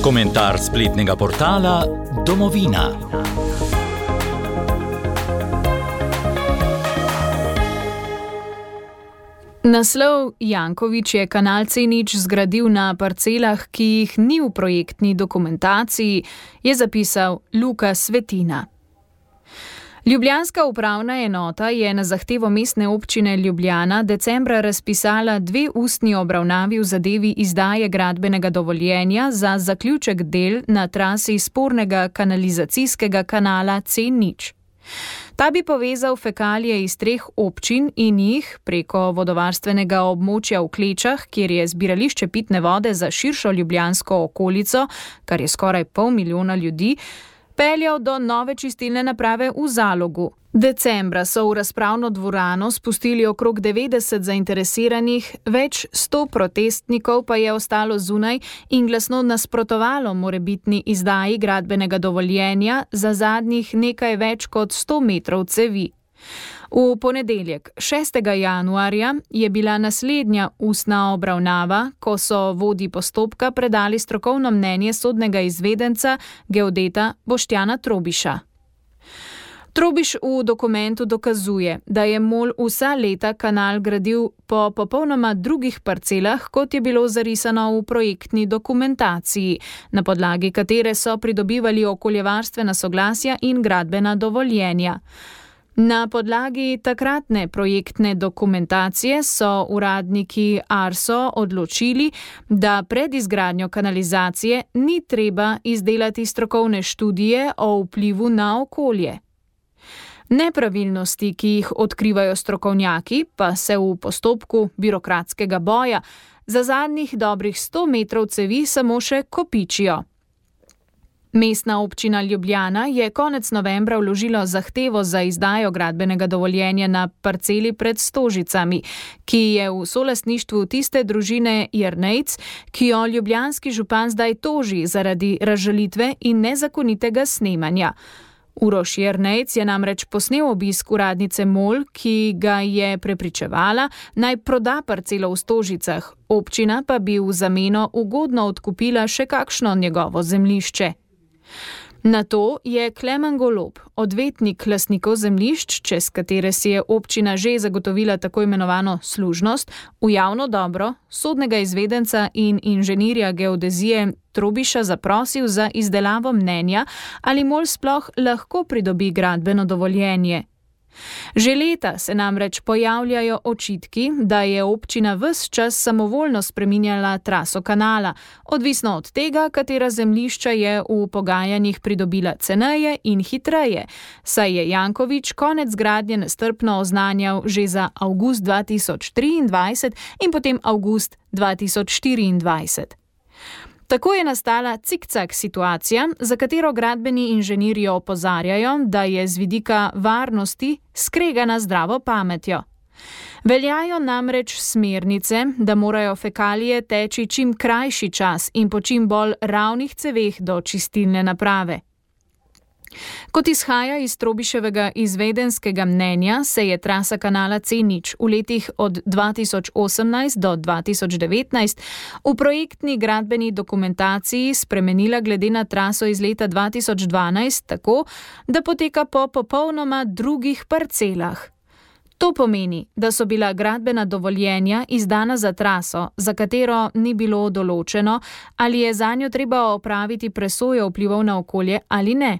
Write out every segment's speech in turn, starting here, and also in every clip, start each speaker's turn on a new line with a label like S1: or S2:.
S1: Komentar spletnega portala Domovina.
S2: Naslov Janković je kanal C0 zgradil na parcelah, ki jih ni v projektni dokumentaciji, je zapisal Luka Svetina. Ljubljanska upravna enota je na zahtevo Mestne občine Ljubljana decembra razpisala 2 ustni obravnavi v zadevi izdaje gradbenega dovoljenja za zaključek del na trasi spornega kanalizacijskega kanala C0. Ta bi povezal fekalije iz 3 občin in jih preko vodovarstvenega območja v Klečah, kjer je zbirališče pitne vode za širšo ljubljansko okolico, kar je skoraj 500 000 ljudi, peljal do nove čistilne naprave v Zalogu. Decembra so v razpravno dvorano spustili okrog 90 zainteresiranih, več 100 protestnikov pa je ostalo zunaj in glasno nasprotovalo morebitni izdaji gradbenega dovoljenja za zadnjih nekaj več kot 100 metrov cevi. V ponedeljek, 6. januarja, je bila naslednja ustna obravnava, ko so vodji postopka predali strokovno mnenje sodnega izvedenca, geodeta Boštjana Trobiša. Trobiš v dokumentu dokazuje, da je MOL vsa leta kanal gradil po popolnoma drugih parcelah, kot je bilo zarisano v projektni dokumentaciji, na podlagi katere so pridobivali okoljevarstvena soglasja in gradbena dovoljenja. Na podlagi takratne projektne dokumentacije so uradniki ARSO odločili, da pred izgradnjo kanalizacije ni treba izdelati strokovne študije o vplivu na okolje. Nepravilnosti, ki jih odkrivajo strokovnjaki, pa se v postopku birokratskega boja za zadnjih dobrih 100 metrov cevi samo še kopičijo. Mestna občina Ljubljana je konec novembra vložila zahtevo za izdajo gradbenega dovoljenja na parceli pred Stožicami, ki je v solastništvu tiste družine Jernejc, ki jo ljubljanski župan zdaj toži zaradi razžalitve in nezakonitega snemanja. Uroš Jernejc je namreč posnel obisk uradnice MOL, ki ga je prepričevala, naj proda parcelo v Stožicah, občina pa bi v zameno ugodno odkupila še kakšno njegovo zemljišče. Na to je Klemen Golob, odvetnik lastnikov zemljišč, čez katere si je občina že zagotovila tako imenovano služnost, v javno dobro sodnega izvedenca in inženirja geodezije Trobiša zaprosil za izdelavo mnenja, ali MOL sploh lahko pridobi gradbeno dovoljenje. Že leta se namreč pojavljajo očitki, da je občina ves čas samovoljno spreminjala traso kanala, odvisno od tega, katera zemljišča je v pogajanjih pridobila ceneje in hitreje, saj je Janković konec gradnje nestrpno oznanjal že za avgust 2023 in potem avgust 2024. Tako je nastala cikcak situacija, za katero gradbeni inženirji opozarjajo, da je z vidika varnosti skregana zdravo pametjo. Veljajo namreč smernice, da morajo fekalije teči čim krajši čas in po čim bolj ravnih ceveh do čistilne naprave. Kot izhaja iz Trobiševega izvedenskega mnenja, se je trasa kanala C0 v letih od 2018 do 2019 v projektni gradbeni dokumentaciji spremenila glede na traso iz leta 2012 tako, da poteka po popolnoma drugih parcelah. To pomeni, da so bila gradbena dovoljenja izdana za traso, za katero ni bilo določeno, ali je zanjo treba opraviti presojo vplivov na okolje ali ne.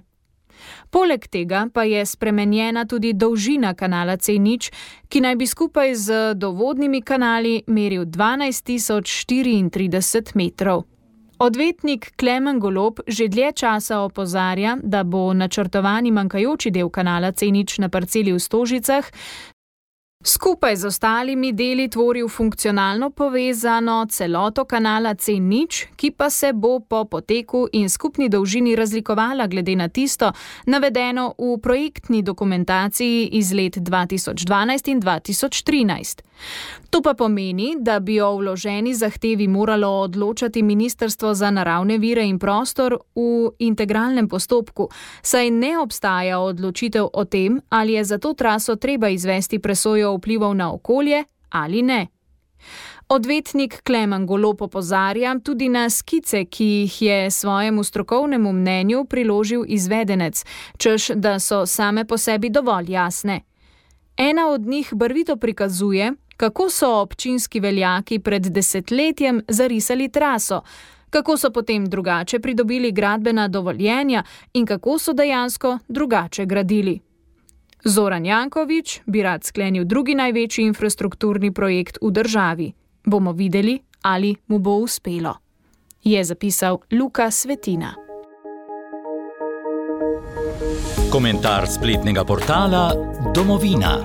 S2: Poleg tega pa je spremenjena tudi dolžina kanala C0, ki naj bi skupaj z dovodnimi kanali meril 12.034 metrov. Odvetnik Klemen Golob že dlje časa opozarja, da bo načrtovani manjkajoči del kanala C0 na parceli v Stožicah skupaj z ostalimi deli tvoril funkcionalno povezano celoto kanala C0, ki pa se bo po poteku in skupni dolžini razlikovala glede na tisto, navedeno v projektni dokumentaciji iz let 2012 in 2013. To pa pomeni, da bi o vloženi zahtevi moralo odločati Ministrstvo za naravne vire in prostor v integralnem postopku, saj ne obstaja odločitev o tem, ali je za to traso treba izvesti presojo vplivov na okolje ali ne. Odvetnik Klemen Golob opozarja tudi na skice, ki jih je svojemu strokovnemu mnenju priložil izvedenec, češ da so same po sebi dovolj jasne. Ena od njih barvito prikazuje, kako so občinski veljaki pred desetletjem zarisali traso, kako so potem drugače pridobili gradbena dovoljenja in kako so dejansko drugače gradili. Zoran Janković bi rad sklenil drugi največji infrastrukturni projekt v državi. Bomo videli, ali mu bo uspelo. Je zapisal Luka Svetina.
S1: Komentar spletnega portala Domovina.